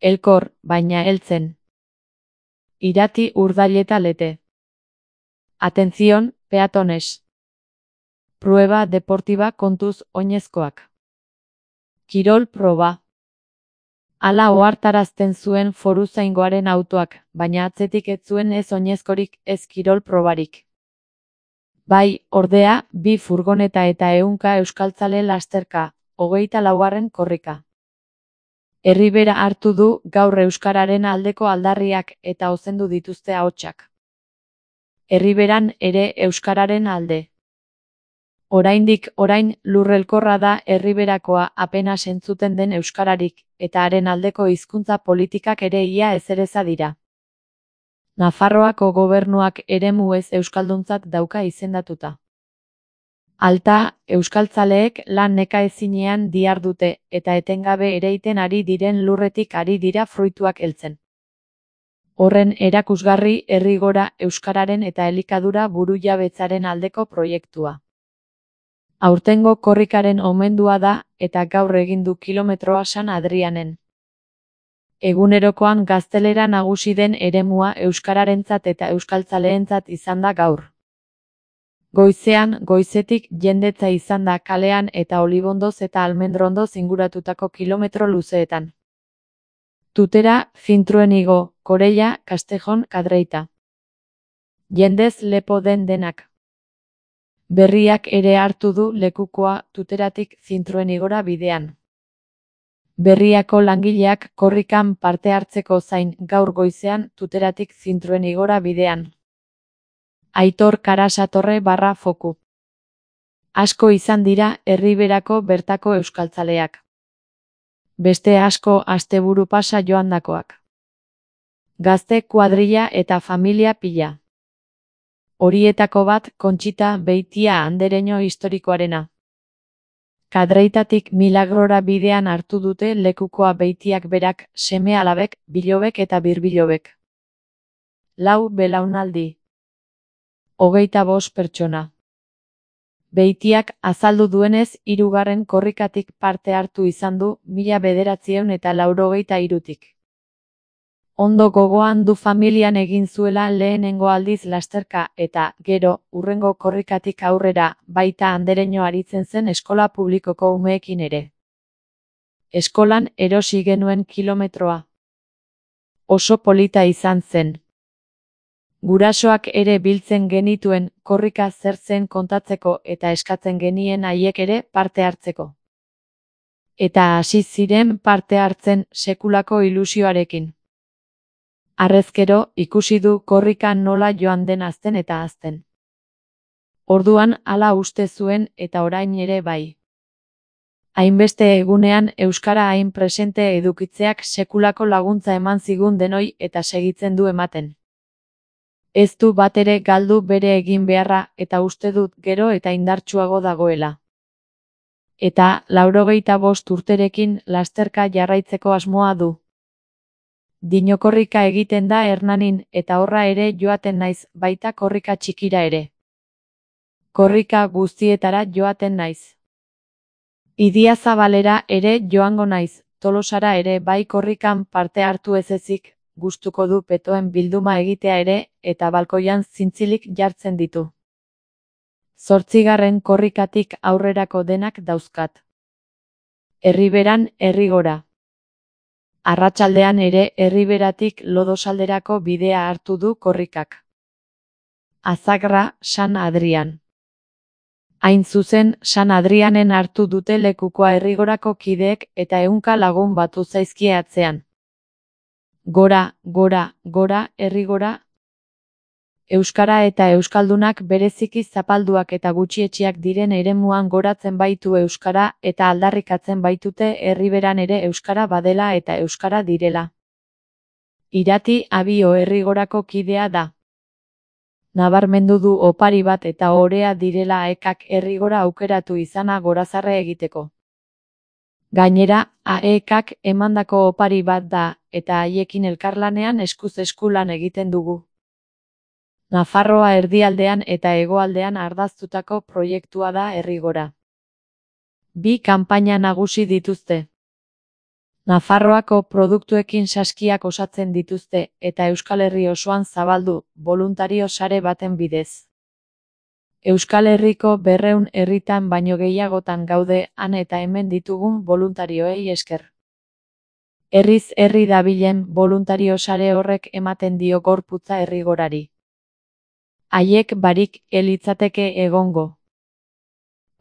Elkor, baina heltzen. Irati urdaileta lete. Atención, peatones. Prueba deportiva kontuz oinezkoak. Kirol proba. Hala ohartarazten zuen foruzaingoaren autoak, baina atzetik ez zuen ez oinezkorik ez kirol probarik. Bai, ordea, 2 furgoneta eta 100 euskaltzale lasterka, 24. korrika. Erribera hartu du gaur euskararen aldeko aldarriak eta ozendu dituzte ahotsak. Erriberan ere euskararen alde. Orain lurrelkorra da Erriberakoa apenas entzuten den euskararik, eta haren aldeko hizkuntza politikak ere ia ezereza dira. Nafarroako gobernuak eremu ez euskalduntzat dauka izendatuta. Alta, euskaltzaleek lan nekaezinean dihardute eta etengabe ereiten ari diren lurretik ari dira fruituak heltzen. Horren erakusgarri Errigora euskararen eta elikadura burujabetzaren aldeko proiektua. Aurtengo korrikaren omendua da eta gaur egin du kilometroa San Adrianen. Egunerokoan gaztelera nagusi den eremua euskararentzat eta euskaltzaleentzat izan da gaur. Goizetik jendetza izan da kalean eta Olibondoz eta Almendrondoz inguratutako kilometro luzeetan. Tutera, Zintruenigo, Korella, Castejon, Kadreita. Jendez lepo denak. Berriak ere hartu du lekukoa Tuteratik Zintruenigora bidean. Berriako langileak korrikan parte hartzeko zain gaur goizean Tuteratik Zintruenigora bidean. Aitor Karasatorre /foku. Asko izan dira Erriberako bertako euskaltzaleak. Beste asko asteburu pasa joandakoak. Gazte kuadrilla eta familia pila. Horietako bat Kontxita Beitia andereño historikoarena. Kadreitatik Milagrora bidean hartu dute lekukoa Beitiak berak, seme-alabek, bilobek eta birbilobek. 4 belaunaldi. 25 pertsona. Beitiak azaldu duenez 3. korrikatik parte hartu izan du 1983tik. Ondo gogoan du familian egin zuela lehenengo aldiz lasterka eta, gero, hurrengo korrikatik aurrera, baita andereño aritzen zen eskola publikoko umeekin ere. Eskolan erosi genuen kilometroa. Oso polita izan zen. Gurasoak ere biltzen genituen korrika zer zen kontatzeko eta eskatzen genien haiek ere parte hartzeko. Eta hasi ziren parte hartzen sekulako ilusioarekin. Harrezkero ikusi du korrika nola joan den hazten eta hazten. Orduan hala uste zuen eta orain ere bai. Hainbeste egunean euskara hain presente edukitzeak sekulako laguntza eman zigun denoi eta segitzen du ematen. Ez du batere galdu bere egin beharra eta uste dut gero eta indartsuago dagoela. Eta 85 urterekin lasterka jarraitzeko asmoa du. Dinokorrika egiten da Hernanin eta horra ere joaten naiz, baita korrika txikira ere. Korrika guztietara joaten naiz. Idiazabalera ere joango naiz, Tolosara ere bai korrikan parte hartu ez ezik, gustuko du petoen bilduma egitea ere eta balkoian zintzilik jartzen ditu. 8. korrikatik aurrerako denak dauzkat. Erriberan Errigora. Arratsaldean ere Erriberatik Lodosalderako bidea hartu du korrikak. Azagra, San Adrian. Hain zuzen, San Adrianen hartu dute lekukoa Errigorako kideek eta 100 lagun batu zaizkie atzean. Gora, gora, gora, Errigora. Euskara eta euskaldunak bereziki zapalduak eta gutxietsiak diren eremuan goratzen baitu euskara eta aldarrikatzen baitute Erriberan ere euskara badela eta euskara direla. Irati Abio Errigorako kidea da. Nabarmendu du opari bat eta orea direla aekak Errigora aukeratu izana gorazarre egiteko. Gainera, aekak emandako opari bat da eta haiekin elkarlanean eskuz esku lan egiten dugu. Nafarroa erdialdean eta hegoaldean ardaztutako proiektua da Errigora. 2 kanpaina nagusi dituzte. Nafarroako produktuekin saskiak osatzen dituzte eta Euskal Herri osoan zabaldu, boluntario sare baten bidez. Euskal Herriko 200 herritan baino gehiagotan gaude han eta hemen ditugun boluntarioei esker. Herriz herri dabilen boluntario sare horrek ematen dio gorputza herrigorari. Haiek barik litzateke egongo.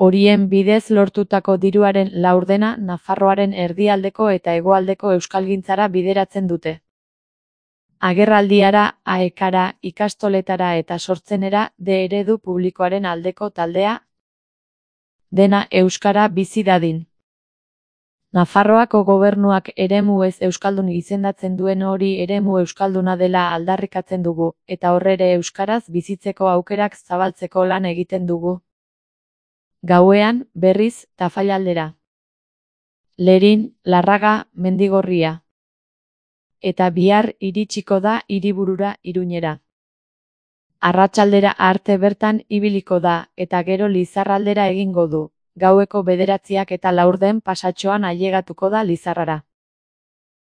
Horien bidez lortutako diruaren laurdena Nafarroaren erdialdeko eta hegoaldeko euskalgintzara bideratzen dute. Agerraldiara, aekara, ikastoletara eta sortzenera eredu publikoaren aldeko taldea, dena euskara bizi dadin. Nafarroako gobernuak eremu ez euskaldun izendatzen duen hori eremu euskalduna dela aldarrikatzen dugu, eta horrere euskaraz bizitzeko aukerak zabaltzeko lan egiten dugu. Gauean, berriz, Tafailaldera. Lerin, Larraga, Mendigorria. Eta bihar iritsiko da hiriburura Iruñera. Arratsaldera arte bertan ibiliko da, eta gero Lizarraldera egingo du. Gaueko 9 eta 10 pasatxoan ailegatuko da Lizarrara.